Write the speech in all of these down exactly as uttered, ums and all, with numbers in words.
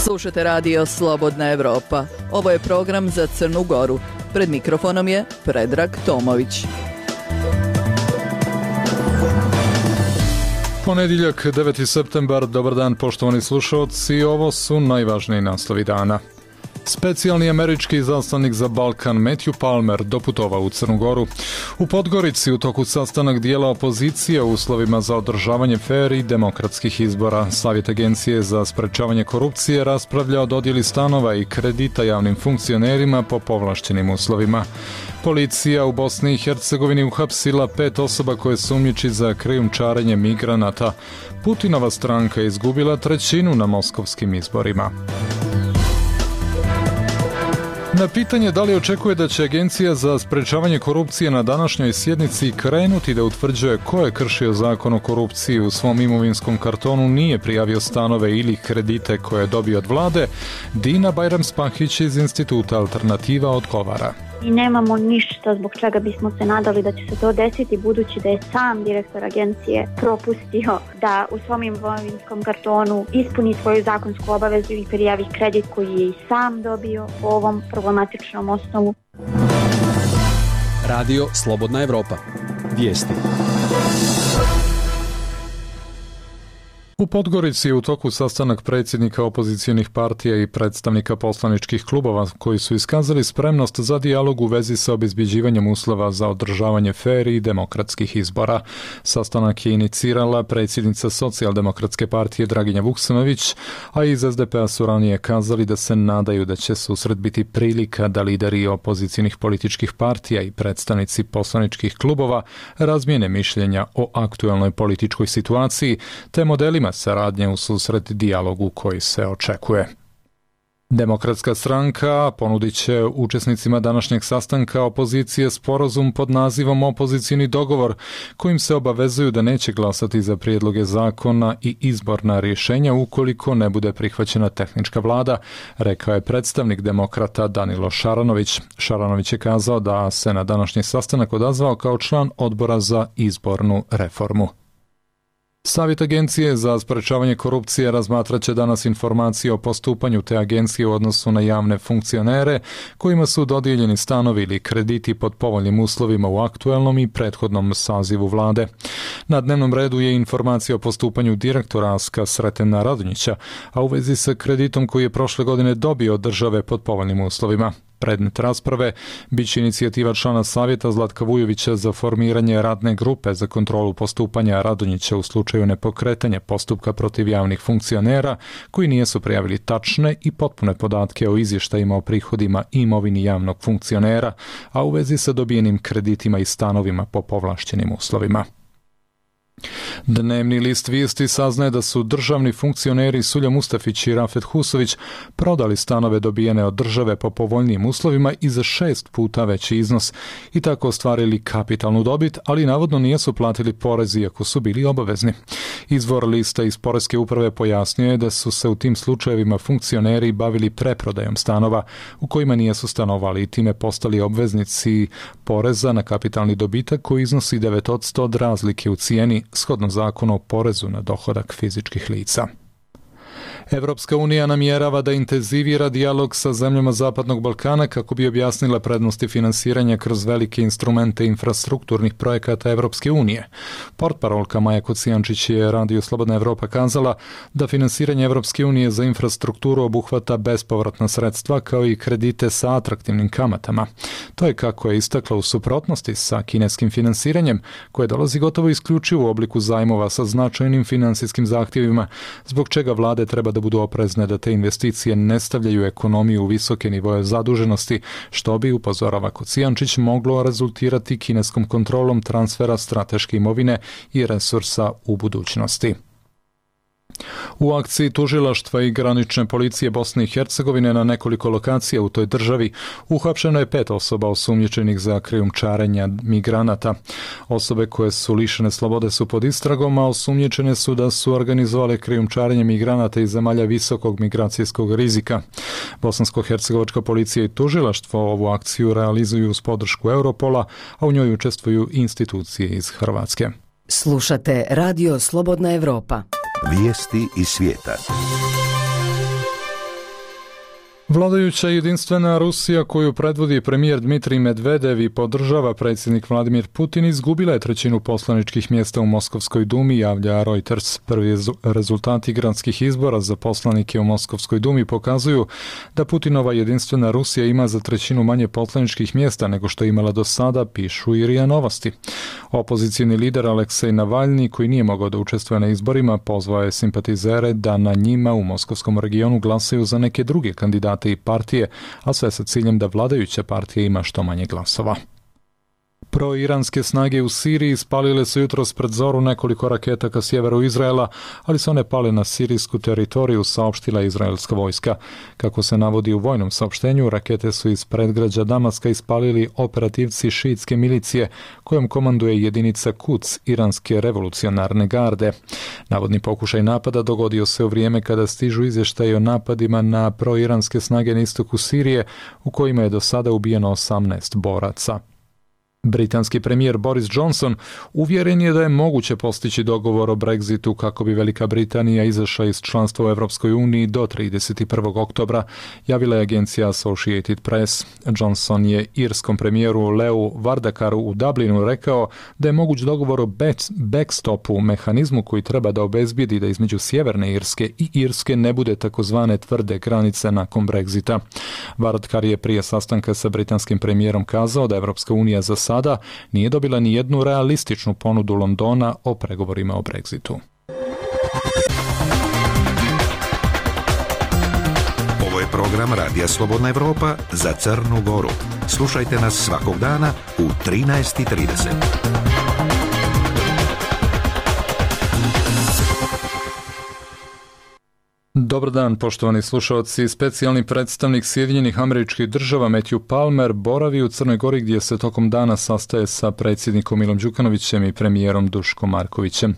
Slušate radio Slobodna Evropa. Ovo je program za Crnu Goru. Pred mikrofonom je Predrag Tomović. Ponedjeljak, deveti septembar, dobar dan poštovani slušalci, ovo su najvažniji naslovi dana. Specijalni američki izaslanik za Balkan Matthew Palmer doputovao u Crnu Goru. U Podgorici u toku sastanak dijela opozicije u uslovima za održavanje fer i demokratskih izbora. Savjet Agencije za sprečavanje korupcije raspravlja o dodjeli stanova i kredita javnim funkcionerima po povlaštenim uslovima. Policija u Bosni i Hercegovini uhapsila pet osoba koje sumnjiči za krijumčarenje migranata. Putinova stranka je izgubila trećinu na moskovskim izborima. Na pitanje da li očekuje da će Agencija za sprečavanje korupcije na današnjoj sjednici krenuti da utvrđuje ko je kršio zakon o korupciji u svom imovinskom kartonu, nije prijavio stanove ili kredite koje je dobio od vlade, Dina Bajram-Spahić iz Instituta Alternativa odgovara. I nemamo ništa zbog čega bismo se nadali da će se to desiti, budući da je sam direktor agencije propustio da u svom imovinskom kartonu ispuni svoju zakonsku obavezu i prijavi kredit koji je i sam dobio po ovom problematičnom osnovu. Radio Slobodna Evropa. Vijesti. U Podgorici je u toku sastanak predsjednika opozicionih partija i predstavnika poslaničkih klubova koji su iskazali spremnost za dijalog u vezi sa obezbjeđivanjem uslova za održavanje fer i demokratskih izbora. Sastanak je inicirala predsjednica Socijaldemokratske partije Draginja Vuksanović, a iz es de pe a su ranije kazali da se nadaju da će susret biti prilika da lideri opozicionih političkih partija i predstavnici poslaničkih klubova razmijene mišljenja o aktuelnoj političkoj situaciji te modelima saradnje u susret dijalogu koji se očekuje. Demokratska stranka ponudit će učesnicima današnjeg sastanka opozicije sporazum pod nazivom Opozicioni dogovor, kojim se obavezuju da neće glasati za prijedloge zakona i izborna rješenja ukoliko ne bude prihvaćena tehnička vlada, rekao je predstavnik demokrata Danilo Šaranović. Šaranović je kazao da se na današnji sastanak odazvao kao član odbora za izbornu reformu. Savjet Agencije za sprečavanje korupcije razmatrat će danas informacije o postupanju te agencije u odnosu na javne funkcionere kojima su dodijeljeni stanovi ili krediti pod povoljnim uslovima u aktuelnom i prethodnom sazivu vlade. Na dnevnom redu je informacija o postupanju direktora Aska Sretena Radonjića, a u vezi sa kreditom koji je prošle godine dobio od države pod povoljnim uslovima. Predmet rasprave biće inicijativa člana savjeta Zlatka Vujovića za formiranje radne grupe za kontrolu postupanja Radonjića u slučaju nepokretanja postupka protiv javnih funkcionera koji nisu prijavili tačne i potpune podatke o izvještajima o prihodima i imovini javnog funkcionera, a u vezi sa dobijenim kreditima i stanovima po povlaštenim uslovima. Dnevni list Vijesti saznaje da su državni funkcioneri Sulja Mustafić i Rafet Husović prodali stanove dobijene od države po povoljnijim uslovima i za šest puta veći iznos i tako ostvarili kapitalnu dobit, ali navodno nisu platili porez iako su bili obavezni. Izvor lista iz Poreske uprave pojasnio je da su se u tim slučajevima funkcioneri bavili preprodajom stanova u kojima nisu stanovali i time postali obveznici poreza na kapitalni dobitak koji iznosi devet posto od razlike u cijeni shodno zakonu o porezu na dohodak fizičkih lica. Evropska unija namjerava da intenzivira dijalog sa zemljama Zapadnog Balkana kako bi objasnila prednosti finansiranja kroz velike instrumente infrastrukturnih projekata Evropske unije. Portparolka Maja Kocijančić je Radio Slobodna Evropa kazala da finansiranje Evropske unije za infrastrukturu obuhvata bespovratna sredstva kao i kredite sa atraktivnim kamatama. To je, kako je istakla, u suprotnosti sa kineskim finansiranjem koje dolazi gotovo isključivo u obliku zajmova sa značajnim finansijskim zahtjevima, zbog čega vlade treba da budu oprezne da te investicije ne stavljaju ekonomiju u visoke nivoje zaduženosti, što bi, upozorava Kocijančić, moglo rezultirati kineskom kontrolom transfera strateške imovine i resursa u budućnosti. U akciji tužilaštva i granične policije Bosne i Hercegovine na nekoliko lokacija u toj državi uhapšeno je pet osoba osumnjičenih za krijumčarenje migranata. Osobe koje su lišene slobode su pod istragom, a osumnjičene su da su organizovale krijumčarenje migranata iz zemalja visokog migracijskog rizika. Bosansko-hercegovačka policija i tužilaštvo ovu akciju realizuju uz podršku Europola, a u njoj učestvuju institucije iz Hrvatske. Slušate Radio Slobodna Evropa. Vijesti iz svijeta. Vladajuća jedinstvena Rusija koju predvodi premijer Dmitrij Medvedev i podržava predsjednik Vladimir Putin izgubila je trećinu poslaničkih mjesta u Moskovskoj dumi, javlja Reuters. Prvi rezultati gradskih izbora za poslanike u Moskovskoj dumi pokazuju da Putinova jedinstvena Rusija ima za trećinu manje poslaničkih mjesta nego što je imala do sada, pišu i R I A Novosti. Opozicijni lider Aleksej Navalni, koji nije mogao da učestvuje na izborima, pozvao je simpatizere da na njima u moskovskom regionu glasaju za neke druge kandidate i partije, a sve sa ciljem da vladajuća partija ima što manje glasova. Proiranske snage u Siriji spalile su jutros pred zoru nekoliko raketa ka sjeveru Izraela, ali su one pale na sirijsku teritoriju, saopštila izraelska vojska. Kako se navodi u vojnom saopštenju, rakete su iz predgrađa Damaska ispalili operativci šiitske milicije, kojom komanduje jedinica Quds, iranske revolucionarne garde. Navodni pokušaj napada dogodio se u vrijeme kada stižu izvještaji o napadima na proiranske snage na istoku Sirije, u kojima je do sada ubijeno osamnaest boraca. Britanski premijer Boris Johnson uvjeren je da je moguće postići dogovor o Brexitu kako bi Velika Britanija izašla iz članstva u Europskoj uniji do trideset prvog oktobra, javila je agencija Associated Press. Johnson je irskom premijeru Leu Varadkaru u Dublinu rekao da je moguć dogovor o backstopu, mehanizmu koji treba da obezbijedi da između Sjeverne Irske i Irske ne bude takozvane tvrde granice nakon Brexita. Varadkar je prije sastanka sa britanskim premijerom kazao da Europska unija za sada nije dobila ni jednu realističnu ponudu Londona o pregovorima o Brexitu. Ovo je program Radija Slobodna Evropa za Crnu Goru. Slušajte nas svakog dana u trinaest i trideset. Dobar dan, poštovani slušalci. Specijalni predstavnik Sjedinjenih Američkih Država Matthew Palmer boravi u Crnoj Gori gdje se tokom dana sastaje sa predsjednikom Milom Đukanovićem i premijerom Duškom Markovićem.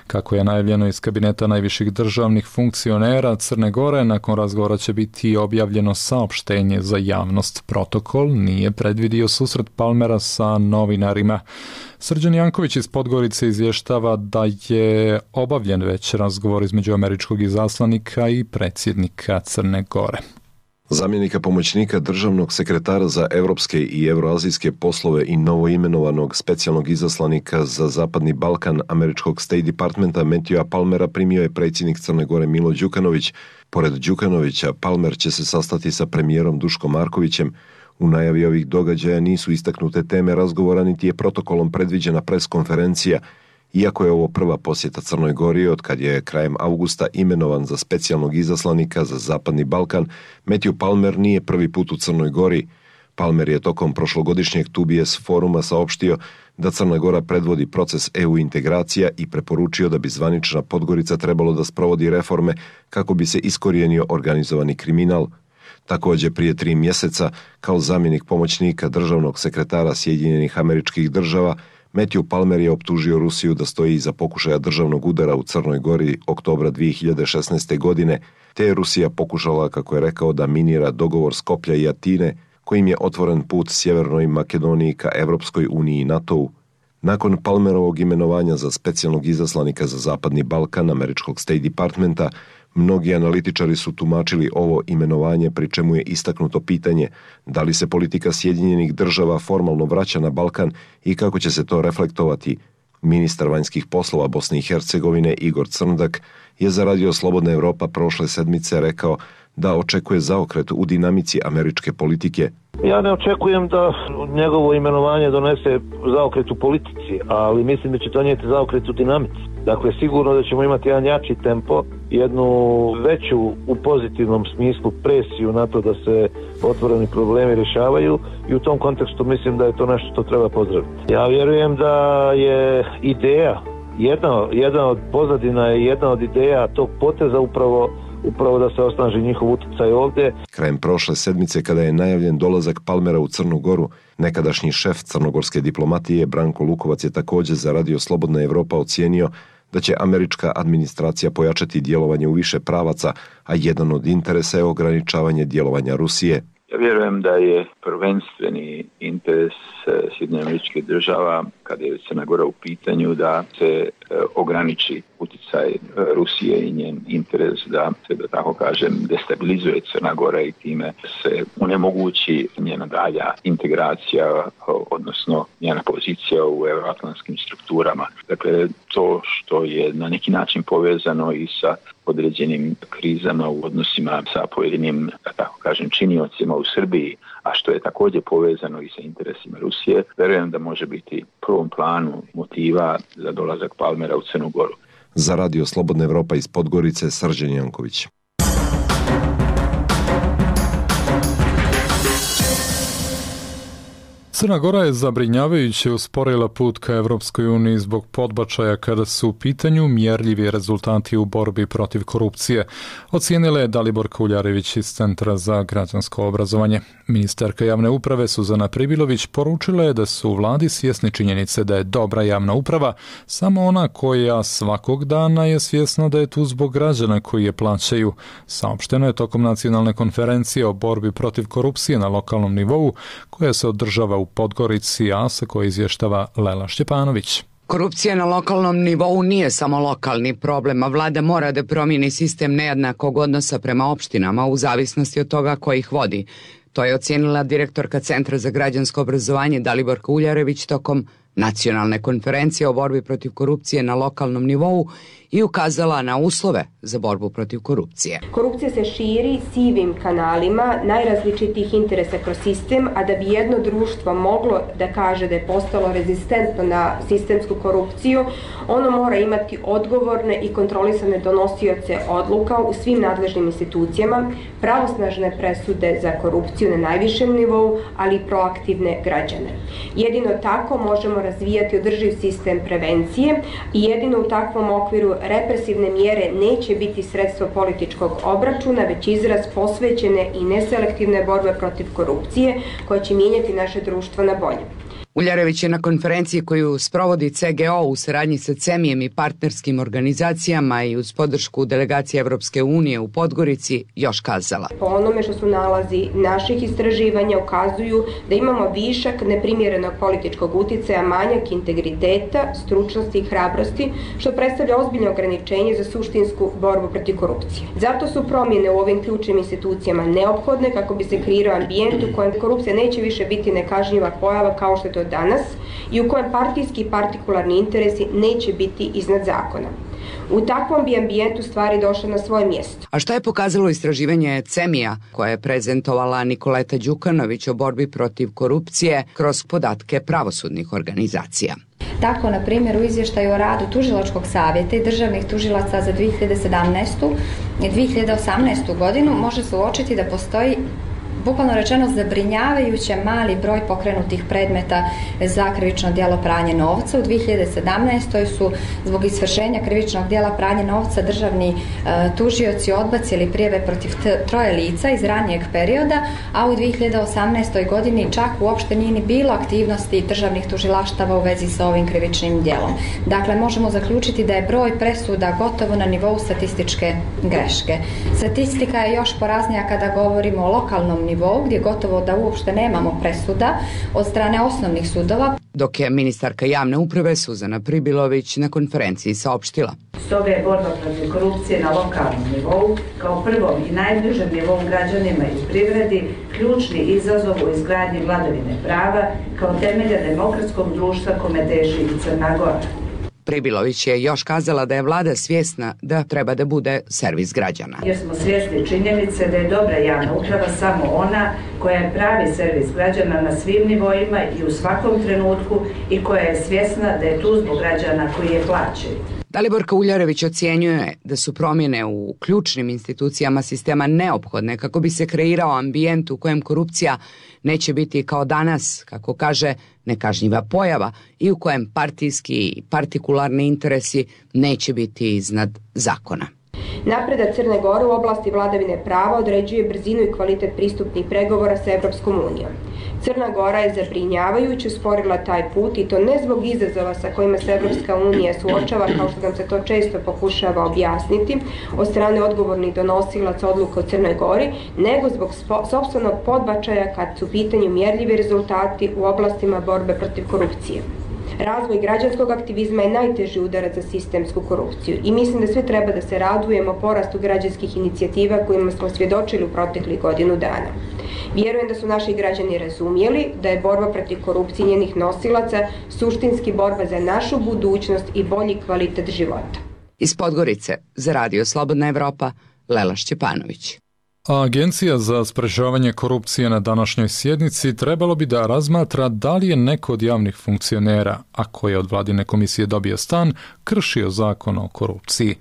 Kako je najavljeno iz kabineta najviših državnih funkcionera Crne Gore, nakon razgovora će biti objavljeno saopštenje za javnost. Protokol nije predvidio susret Palmera sa novinarima. Srđan Janković iz Podgorice izvještava da je obavljen već razgovor između američkog izaslanika i predsjednika Crne Gore. Zamjenika pomoćnika državnog sekretara za europske i euroazijske poslove i novoimenovanog specijalnog izaslanika za Zapadni Balkan američkog State Departmenta Matthewa Palmera primio je predsjednik Crne Gore Milo Đukanović. Pored Đukanovića, Palmer će se sastati sa premijerom Duškom Markovićem. U najavi ovih događaja nisu istaknute teme razgovora, niti je protokolom predviđena preskonferencija, iako je ovo prva posjeta Crnoj Gori od kad je krajem avgusta imenovan za specijalnog izaslanika za Zapadni Balkan. Matthew Palmer nije prvi put u Crnoj Gori. Palmer je tokom prošlogodišnjeg T B S foruma saopštio da Crna Gora predvodi proces E U integracija i preporučio da bi zvanična Podgorica trebalo da sprovodi reforme kako bi se iskorijenio organizovani kriminal. Također prije tri mjeseca, kao zamjenik pomoćnika državnog sekretara Sjedinjenih Američkih Država, Matthew Palmer je optužio Rusiju da stoji iza pokušaja državnog udara u Crnoj Gori oktobra dvije hiljade šesnaeste. godine, te je Rusija pokušala, kako je rekao, da minira dogovor Skoplja i Atine, kojim je otvoren put Sjevernoj Makedoniji ka Evropskoj uniji i NATO-u. Nakon Palmerovog imenovanja za specijalnog izaslanika za Zapadni Balkan američkog State Departmenta, mnogi analitičari su tumačili ovo imenovanje, pri čemu je istaknuto pitanje da li se politika Sjedinjenih Država formalno vraća na Balkan i kako će se to reflektovati. Ministar vanjskih poslova Bosne i Hercegovine Igor Crndak je za Radio Slobodna Evropa prošle sedmice rekao da očekuje zaokret u dinamici američke politike. Ja ne očekujem da njegovo imenovanje donese zaokret u politici, ali mislim da će donijeti zaokret u dinamici. Dakle, sigurno da ćemo imati jedan jači tempo, jednu veću u pozitivnom smislu presiju na to da se otvoreni problemi rješavaju i u tom kontekstu mislim da je to nešto što treba pozdraviti. Ja vjerujem da je ideja, jedna, jedna od pozadina je jedna od ideja tog poteza upravo upravo da se osnaži njihov utjecaj ovdje. Krajem prošle sedmice, kada je najavljen dolazak Palmera u Crnu Goru, nekadašnji šef crnogorske diplomatije Branko Lukovac je također za Radio Slobodna Evropa ocijenio da će američka administracija pojačati djelovanje u više pravaca, a jedan od interesa je ograničavanje djelovanja Rusije. Ja vjerujem da je prvenstveni interes Sjedinjenih Američkih Država, kada je Crna Gora u pitanju, da se ograniči utjecaj utjecaj Rusije i njen interes da se, da tako kažem, destabilizuje Crna Gora i time se onemogući njena dalja integracija, odnosno njena pozicija u euroatlantskim strukturama. Dakle, to što je na neki način povezano i sa određenim krizama u odnosima sa pojedinim, da tako kažem, činiocima u Srbiji, a što je također povezano i sa interesima Rusije, verujem da može biti prvom planu motiva za dolazak Palmera u Crnu Goru. Za Radio Slobodna Evropa iz Podgorice, Srđan Janković. Crna Gora je zabrinjavajuće usporila put ka Evropskoj uniji zbog podbačaja kada su u pitanju mjerljivi rezultati u borbi protiv korupcije, ocijenila je Dalibor Kuljarević iz Centra za građansko obrazovanje. Ministarka javne uprave Suzana Pribilović poručila je da su u vladi svjesni činjenice da je dobra javna uprava samo ona koja svakog dana je svjesna da je tu zbog građana koji je plaćaju. Saopšteno je tokom nacionalne konferencije o borbi protiv korupcije na lokalnom nivou koja se održava u Podgorici, a sa koje izvještava Lela Šćepanović. Korupcija na lokalnom nivou nije samo lokalni problem, a vlada mora da promijeni sistem nejednakog odnosa prema opštinama u zavisnosti od toga ko ih vodi. To je ocijenila direktorka Centra za građansko obrazovanje Dalibor Kuljarević tokom nacionalne konferencije o borbi protiv korupcije na lokalnom nivou i ukazala na uslove za borbu protiv korupcije. Korupcija se širi sivim kanalima najrazličitijih interesa kroz sistem, a da bi jedno društvo moglo da kaže da je postalo rezistentno na sistemsku korupciju, ono mora imati odgovorne i kontrolisane donosioce odluka u svim nadležnim institucijama, pravosnažne presude za korupciju na najvišem nivou, ali i proaktivne građane. Jedino tako možemo razvijati održiv sistem prevencije i jedino u takvom okviru represivne mjere neće biti sredstvo političkog obračuna, već izraz posvećene i neselektivne borbe protiv korupcije koja će mijenjati naše društvo na bolje. Uljarević je na konferenciji koju sprovodi C G O u saradnji sa CEMIjem i partnerskim organizacijama i uz podršku delegacije Evropske unije u Podgorici još kazala. Po onome što su nalazi naših istraživanja ukazuju da imamo višak neprimjerenog političkog utjecaja, manjak integriteta, stručnosti i hrabrosti, što predstavlja ozbiljno ograničenje za suštinsku borbu protiv korupcije. Zato su promjene u ovim ključnim institucijama neophodne kako bi se kreirao ambijent u kojem korupcija neće više biti nekažnjiva pojava kao što je to danas i u kojem partijski i partikularni interesi neće biti iznad zakona. U takvom bi ambijentu stvari došle na svoje mjesto. A šta je pokazalo istraživanje CEMIja koje je prezentovala Nikoleta Đukanović o borbi protiv korupcije kroz podatke pravosudnih organizacija? Tako, na primjer, u izvještaju o radu Tužilačkog savjeta i državnih tužilaca za dvije hiljade sedamnaestu i dvije hiljade osamnaestu godinu može se uočiti da postoji bukvalno rečeno zabrinjavajuće mali broj pokrenutih predmeta za krivično djelo pranje novca. U dvije hiljade sedamnaestoj su zbog izvršenja krivičnog djela pranje novca državni e, tužioci odbacili prijave protiv t- troje lica iz ranijeg perioda, a u dvije hiljade osamnaestoj godini čak uopšte nije ni bilo aktivnosti državnih tužilaštava u vezi sa ovim krivičnim djelom. Dakle, možemo zaključiti da je broj presuda gotovo na nivou statističke greške. Statistika je još poraznija kada govorimo o lokalnom nivou, gdje gotovo da uopšte nemamo presuda od strane osnovnih sudova. Dok je ministarka javne uprave Suzana Pribilović na konferenciji saopštila. Stoga je borba protiv korupcije na lokalnom nivou, kao prvom i najbližem nivou građanima i privredi, ključni izazov u izgradnji vladavine prava kao temelja demokratskog društva kome teži i Crna Gora. Pribilović je još kazala da je vlada svjesna da treba da bude servis građana. Jer smo svjesni činjenice da je dobra javna uprava samo ona koja je pravi servis građana na svim nivoima i u svakom trenutku i koja je svjesna da je tu zbog građana koji je plaćaju. Dalibor Kuljarević ocjenjuje da su promjene u ključnim institucijama sistema neophodne kako bi se kreirao ambijent u kojem korupcija neće biti kao danas, kako kaže, nekažnjiva pojava i u kojem partijski i partikularni interesi neće biti iznad zakona. Napredak Crne Gore u oblasti vladavine prava određuje brzinu i kvalitet pristupnih pregovora sa Evropskom unijom. Crna Gora je zabrinjavajuće usporila taj put i to ne zbog izazova sa kojima se Evropska unija suočava, kao što nam se to često pokušava objasniti od strane odgovornih donosilaca odluka u Crnoj Gori, nego zbog sopstvenog podbačaja kad su u pitanju mjerljivi rezultati u oblastima borbe protiv korupcije. Razvoj građanskog aktivizma je najteži udarac za sistemsku korupciju i mislim da sve treba da se radujemo porastu građanskih inicijativa kojima smo svjedočili u proteklih godinu dana. Vjerujem da su naši građani razumjeli da je borba protiv korupcije i njenih nosilaca suštinski borba za našu budućnost i bolji kvalitet života. Iz Podgorice za Radio Slobodna Evropa, Lela Šćepanović. A Agencija za sprečavanje korupcije na današnjoj sjednici trebalo bi da razmatra da li je neko od javnih funkcionera, a koji je od vladine komisije dobio stan, kršio zakon o korupciji.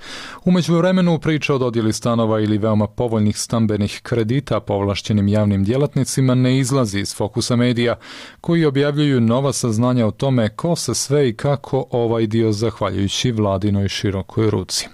U međuvremenu priča o dodjeli stanova ili veoma povoljnih stambenih kredita povlašćenim javnim djelatnicima ne izlazi iz fokusa medija, koji objavljuju nova saznanja o tome ko se sve i kako ovaj dio zahvaljujući vladinoj širokoj ruci.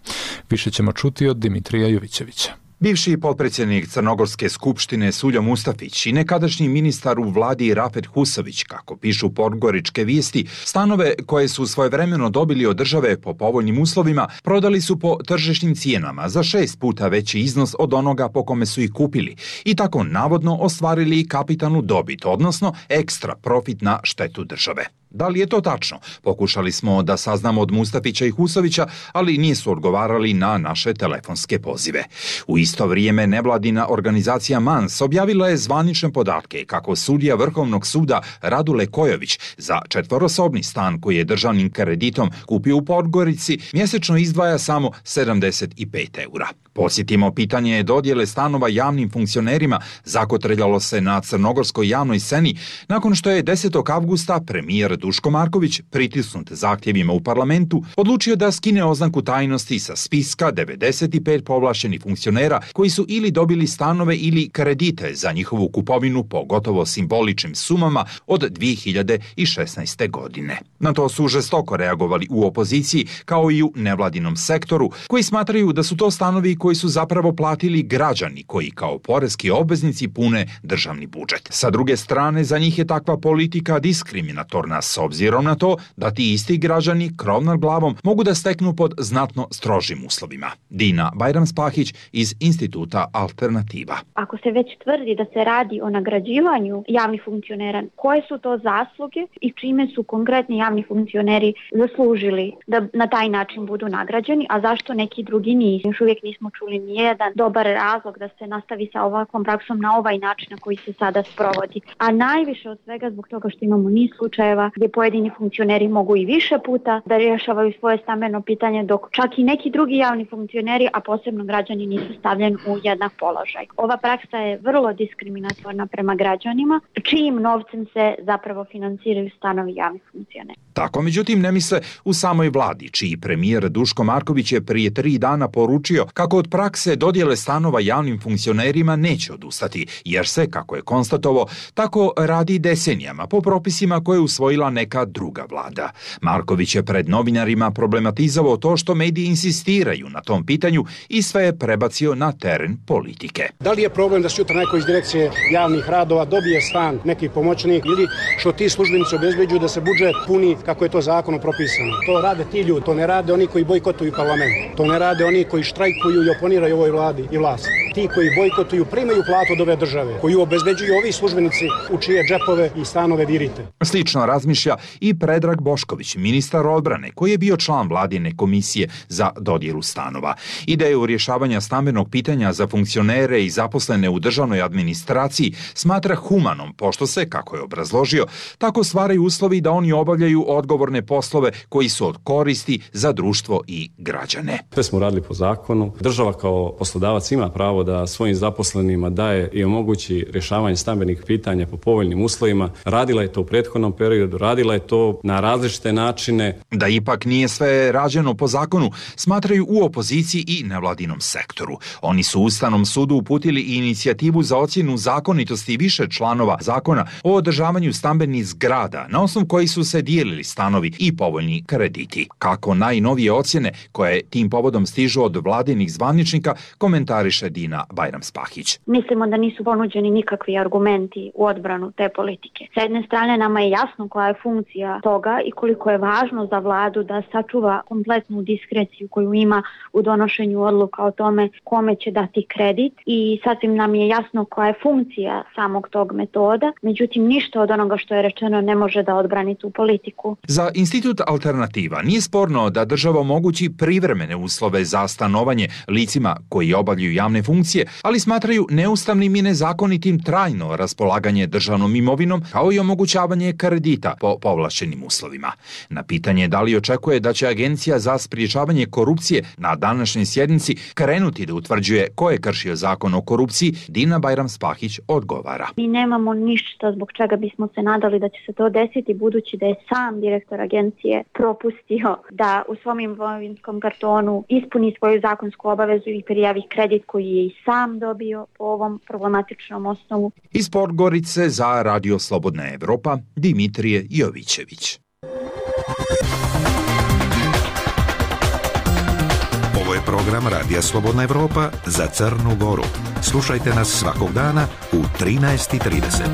Više ćemo čuti od Dimitrija Jovićevića. Bivši potpredsjednik Crnogorske skupštine Suljo Mustafić i nekadašnji ministar u vladi Rafet Husović, kako pišu podgoričke vijesti, stanove koje su svojevremeno dobili od države po povoljnim uslovima prodali su po tržišnim cijenama za šest puta veći iznos od onoga po kome su ih kupili i tako navodno ostvarili kapitalnu dobit, odnosno ekstra profit na štetu države. Da li je to tačno? Pokušali smo da saznamo od Mustafića i Husovića, ali nisu odgovarali na naše telefonske pozive. U isto vrijeme nevladina organizacija Mans objavila je zvanične podatke kako sudija Vrhovnog suda Radule Kojović za četvorosobni stan koji je državnim kreditom kupio u Podgorici mjesečno izdvaja samo sedamdeset pet eura. Posjetimo pitanje dodjele stanova javnim funkcionerima zakotrljalo se na crnogorskoj javnoj sceni nakon što je desetog avgusta premijer Duško Marković, pritisnut zahtjevima u parlamentu, odlučio da skine oznaku tajnosti sa spiska devedeset pet povlašćenih funkcionera koji su ili dobili stanove ili kredite za njihovu kupovinu po gotovo simboličnim sumama od dvije hiljade šesnaeste. godine. Na to su žestoko reagovali u opoziciji kao i u nevladinom sektoru, koji smatraju da su to stanovi koji su zapravo platili građani koji kao poreski obveznici pune državni budžet. Sa druge strane, za njih je takva politika diskriminatorna s obzirom na to da ti isti građani krov nad glavom mogu da steknu pod znatno strožim uslovima. Dina Bajram-Spahić iz Instituta Alternativa. Ako se već tvrdi da se radi o nagrađivanju javnih funkcionera, koje su to zasluge i čime su konkretni javni funkcioneri zaslužili da na taj način budu nagrađeni, a zašto neki drugi nisu? Još uvijek nismo čuli nijedan dobar razlog da se nastavi sa ovakvom praksom na ovaj način na koji se sada sprovodi. A najviše od svega zbog toga što imamo niz slučajeva gdje pojedini funkcioneri mogu i više puta da rješavaju svoje stambeno pitanje, dok čak i neki drugi javni funkcioneri, a posebno građani, nisu stavljeni u jednak položaj. Ova praksa je vrlo diskriminatorna prema građanima, čijim novcem se zapravo financiraju stanovi javnih funkcionera. Tako, međutim, ne misle u samoj vladi, čiji premijer Duško Marković je prije tri dana poručio kako od prakse dodjele stanova javnim funkcionerima neće odustati, jer se, kako je konstatovao, tako radi decenijama po propisima koje je usvojila neka druga vlada. Marković je pred novinarima problematizovao to što mediji insistiraju na tom pitanju i sve je prebacio na teren politike. Da li je problem da sutra neko iz direkcije javnih radova dobije stan, neki pomoćnik, ili što ti službenici obezbeđuju da se budžet puni kako je to zakonom propisano? To rade ti ljudi, to ne rade oni koji bojkotuju parlament, to ne rade oni koji štrajkuju i oponiraju ovoj vladi i vlasti. Ti koji bojkotuju primaju platu od ove države, koju obezbeđuju ovi službenici u čije džepove i stanove virite. Slično razmišlja i Predrag Bošković, ministar odbrane, koji je bio član vladine komisije za dodjelu stanova. Ideju rješavanja stambenog pitanja za funkcionere i zaposlene u državnoj administraciji smatra humanom, pošto se, kako je obrazložio, tako stvaraju uslovi da oni obavljaju odgovorne poslove koji su od koristi za društvo i građane. Sve smo radili po zakonu. Država kao poslodavac ima pravo da svojim zaposlenima daje i omogući rješavanje stambenih pitanja po povoljnim uslovima. Radila je to u prethodnom periodu, radila je to na različite načine. Da ipak nije sve rađeno po zakonu, smatraju u opoziciji i nevladinom sektoru. Oni su Ustavnom sudu uputili i inicijativu za ocjenu zakonitosti više članova zakona o održavanju stambenih zgrada, na osnovu kojih su se dijelili stanovi i povoljni krediti. Kako najnovije ocjene koje tim povodom stižu od vladinih zvaničnika, komentariše Dina Bajram-Spahić. Mislimo da nisu ponuđeni nikakvi argumenti u odbranu te politike. S jedne strane nama je jasno koja je je funkcija toga i koliko je važno za vladu da sačuva kompletnu diskreciju koju ima u donošenju odluka o tome kome će dati kredit i sasvim nam je jasno koja je funkcija samog tog metoda, međutim ništa od onoga što je rečeno ne može da odbrani tu politiku. Za Institut Alternativa nije sporno da država omogući privremene uslove za stanovanje licima koji obavljaju javne funkcije, ali smatraju neustavnim i nezakonitim trajno raspolaganje državnom imovinom kao i omogućavanje kredita po povlašćenim uslovima. Na pitanje da li očekuje da će Agencija za sprječavanje korupcije na današnjoj sjednici krenuti da utvrđuje ko je kršio zakon o korupciji, Dina Bajram-Spahić odgovara. Mi nemamo ništa zbog čega bismo se nadali da će se to desiti, budući da je sam direktor agencije propustio da u svom imovinskom kartonu ispuni svoju zakonsku obavezu i prijavi kredit koji je i sam dobio po ovom problematičnom osnovu. Iz Podgorice za Radio Slobodna Evropa, Dimitrije Jovićević. Ovo je program Radija Slobodna Evropa za Crnu Goru. Slušajte nas svakog dana u trinaest i trideset.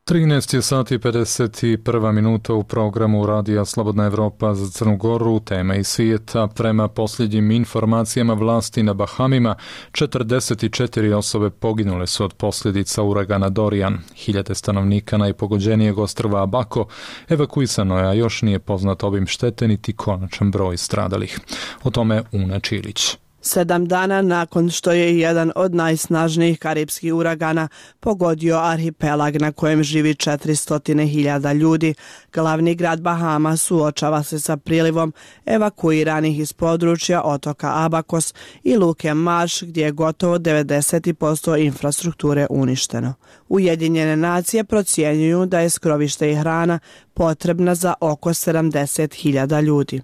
trinaest je sati i pedeset prva minuta u programu Radija Slobodna Evropa za Crnu Goru, tema iz svijeta. Prema posljednjim informacijama vlasti na Bahamima, četrdeset četiri osobe poginule su od posljedica uragana Dorian. Hiljade stanovnika najpogođenijeg ostrva Abaco evakuisano je, a još nije poznat obim štete niti konačan broj stradalih. O tome Una Čilić. Sedam dana nakon što je jedan od najsnažnijih karipskih uragana pogodio arhipelag na kojem živi četiristo hiljada ljudi, glavni grad Bahama suočava se sa prilivom evakuiranih iz područja otoka Abacos i luke Marš, gdje je gotovo devedeset posto infrastrukture uništeno. Ujedinjene nacije procjenjuju da je skrovište i hrana potrebna za oko sedamdeset hiljada ljudi.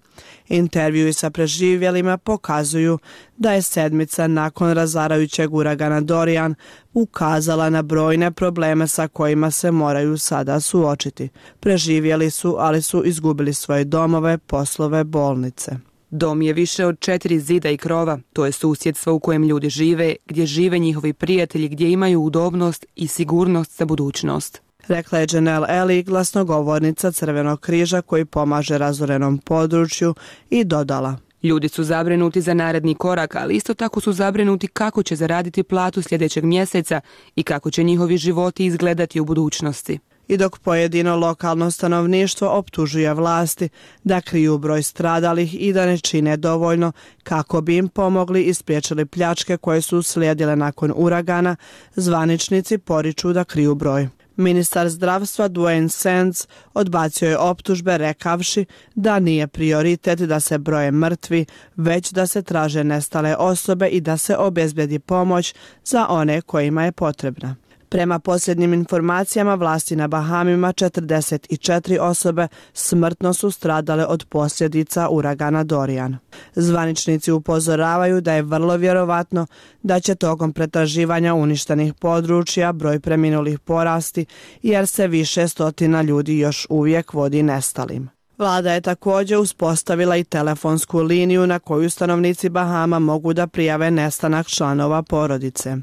Intervjui sa preživjelima pokazuju da je sedmica nakon razarajućeg uragana Dorian ukazala na brojne probleme sa kojima se moraju sada suočiti. Preživjeli su, ali su izgubili svoje domove, poslove, bolnice. Dom je više od četiri zida i krova, to je susjedstvo u kojem ljudi žive, gdje žive njihovi prijatelji, gdje imaju udobnost i sigurnost za budućnost. Rekla je Janelle Eli, glasnogovornica Crvenog križa koji pomaže razorenom području, i dodala: Ljudi su zabrinuti za naredni korak, ali isto tako su zabrinuti kako će zaraditi platu sljedećeg mjeseca i kako će njihovi životi izgledati u budućnosti. I dok pojedino lokalno stanovništvo optužuje vlasti da kriju broj stradalih i da ne čine dovoljno kako bi im pomogli i spriječili pljačke koje su uslijedile nakon uragana, zvaničnici poriču da kriju broj. Ministar zdravstva Dwayne Sands odbacio je optužbe rekavši da nije prioritet da se broje mrtvi, već da se traže nestale osobe i da se obezbedi pomoć za one kojima je potrebna. Prema posljednjim informacijama vlasti na Bahamima, četrdeset četiri osobe smrtno su stradale od posljedica uragana Dorian. Zvaničnici upozoravaju da je vrlo vjerovatno da će tokom pretraživanja uništenih područja broj preminulih porasti, jer se više stotina ljudi još uvijek vodi nestalim. Vlada je također uspostavila i telefonsku liniju na koju stanovnici Bahama mogu da prijave nestanak članova porodice.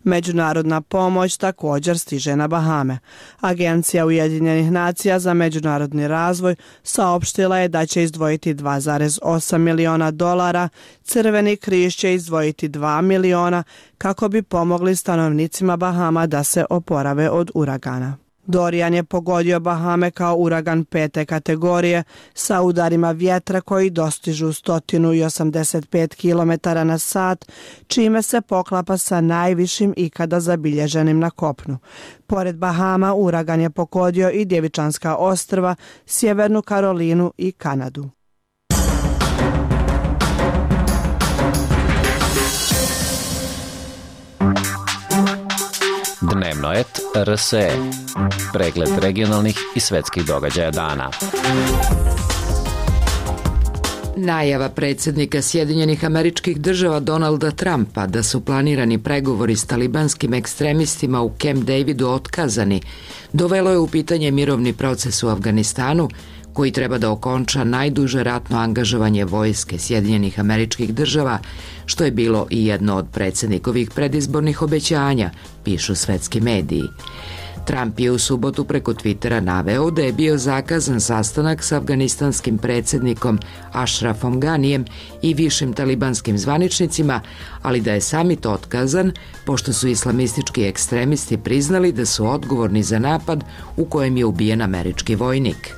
Međunarodna pomoć također stiže na Bahame. Agencija Ujedinjenih nacija za međunarodni razvoj saopštila je da će izdvojiti dva zarez osam miliona dolara, Crveni križ će izdvojiti dva miliona kako bi pomogli stanovnicima Bahama da se oporave od uragana. Dorian je pogodio Bahame kao uragan pete kategorije sa udarima vjetra koji dostižu sto osamdeset pet kilometara na sat, čime se poklapa sa najvišim ikada zabilježenim na kopnu. Pored Bahama, uragan je pogodio i Djevičanska ostrva, Sjevernu Karolinu i Kanadu. Dnevnoet R S E. Pregled regionalnih i svetskih događaja dana. Najava predsjednika Sjedinjenih Američkih Država Donalda Trumpa da su planirani pregovori s talibanskim ekstremistima u Camp Davidu otkazani dovelo je u pitanje mirovni proces u Afganistanu, koji treba da okonča najduže ratno angažovanje vojske Sjedinjenih Američkih Država, što je bilo i jedno od predsjednikovih predizbornih obećanja, pišu svetski mediji. Trump je u subotu preko Twittera naveo da je bio zakazan sastanak s afganistanskim predsjednikom Ashrafom Ganijem i višim talibanskim zvaničnicima, ali da je samit otkazan pošto su islamistički ekstremisti priznali da su odgovorni za napad u kojem je ubijen američki vojnik.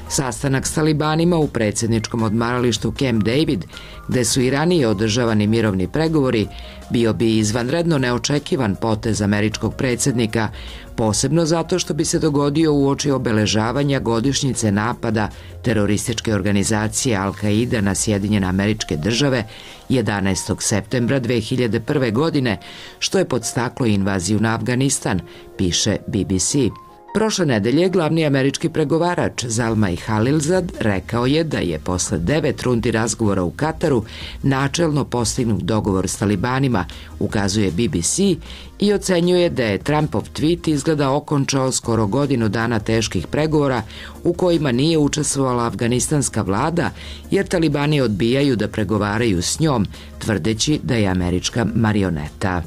Sastanak s talibanima u predsjedničkom odmaralištu Camp David, gde su i ranije održavani mirovni pregovori, bio bi izvanredno neočekivan potez američkog predsjednika, posebno zato što bi se dogodio uoči obeležavanja godišnjice napada terorističke organizacije Al-Qaida na Sjedinjene Američke Države jedanaestog septembra dve hiljade prve. godine, što je podstaklo invaziju na Afganistan, piše B B C. Prošle nedelje glavni američki pregovarač Zalmay Khalilzad rekao je da je posle devet rundi razgovora u Kataru načelno postignut dogovor s talibanima, ukazuje B B C, i ocenjuje da je Trumpov tweet izgleda okončao skoro godinu dana teških pregovora u kojima nije učestvovala afganistanska vlada, jer talibani odbijaju da pregovaraju s njom, tvrdeći da je američka marioneta.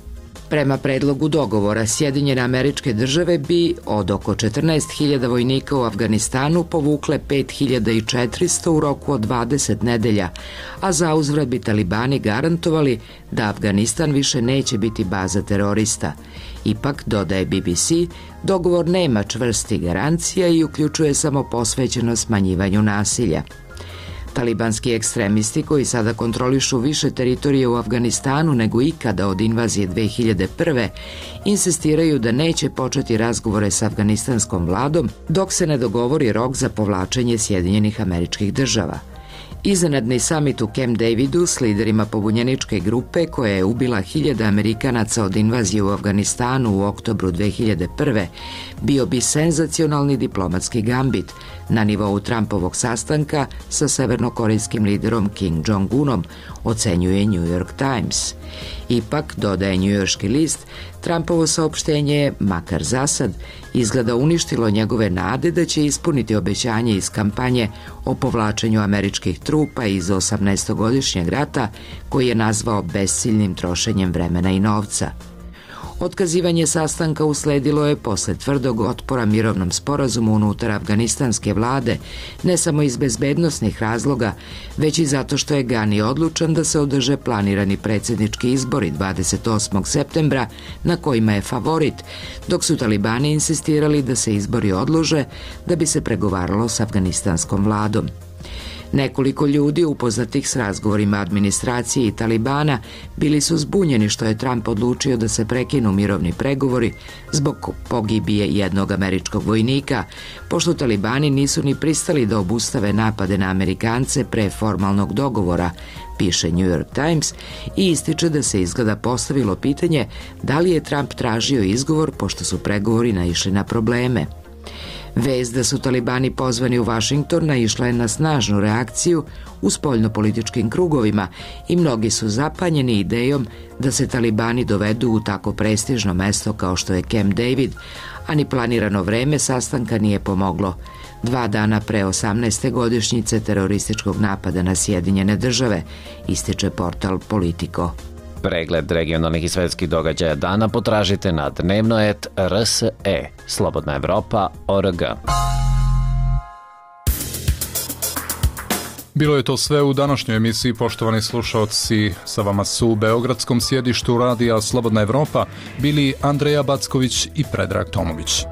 Prema predlogu dogovora, Sjedinjene Američke Države bi od oko četrnaest hiljada vojnika u Afganistanu povukle pet hiljada četiristo u roku od dvadeset nedelja, a zauzvrat bi talibani garantovali da Afganistan više neće biti baza terorista. Ipak, dodaje B B C, dogovor nema čvrstih garancija i uključuje samo posvećeno smanjivanju nasilja. Talibanski ekstremisti, koji sada kontrolišu više teritorije u Afganistanu nego ikada od invazije dve hiljade prve. insistiraju da neće početi razgovore s afganistanskom vladom dok se ne dogovori rok za povlačenje Sjedinjenih Američkih Država. Iznenadni samit u Camp Davidu s liderima pobunjeničke grupe koja je ubila hiljade Amerikanaca od invazije u Afganistanu u oktobru dve hiljade prve. bio bi senzacionalni diplomatski gambit na nivou Trumpovog sastanka sa severnokorejskim liderom Kim Jong-unom, ocenjuje New York Times. Ipak, dodaje njujorški list, Trumpovo saopštenje je, makar zasad, izgleda uništilo njegove nade da će ispuniti obećanje iz kampanje o povlačenju američkih trupa iz osamnaestogodišnjeg rata, koji je nazvao besciljnim trošenjem vremena i novca. Otkazivanje sastanka usledilo je posle tvrdog otpora mirovnom sporazumu unutar afganistanske vlade, ne samo iz bezbednosnih razloga, već i zato što je Gani odlučan da se održe planirani predsjednički izbori dvadeset osmog septembra, na kojima je favorit, dok su talibani insistirali da se izbori odlože da bi se pregovaralo s afganistanskom vladom. Nekoliko ljudi upoznatih s razgovorima administracije i talibana bili su zbunjeni što je Trump odlučio da se prekinu mirovni pregovori zbog pogibije jednog američkog vojnika, pošto talibani nisu ni pristali da obustave napade na Amerikance pre formalnog dogovora, piše New York Times, i ističe da se izgleda postavilo pitanje da li je Trump tražio izgovor pošto su pregovori naišli na probleme. Vest da su talibani pozvani u Washington naišla je na snažnu reakciju u spoljnopolitičkim krugovima i mnogi su zapanjeni idejom da se talibani dovedu u tako prestižno mesto kao što je Camp David, a ni planirano vreme sastanka nije pomoglo. Dva dana pre osamnaeste godišnjice terorističkog napada na Sjedinjene Države, ističe portal Politico. Pregled regionalnih i svetskih događaja dana potražite na dnevno et r s e, slobodna evropa tačka org. Bilo je to sve u današnjoj emisiji, poštovani slušaoci. Sa vama su u beogradskom sjedištu radija Slobodna Evropa bili Andreja Backović i Predrag Tomović.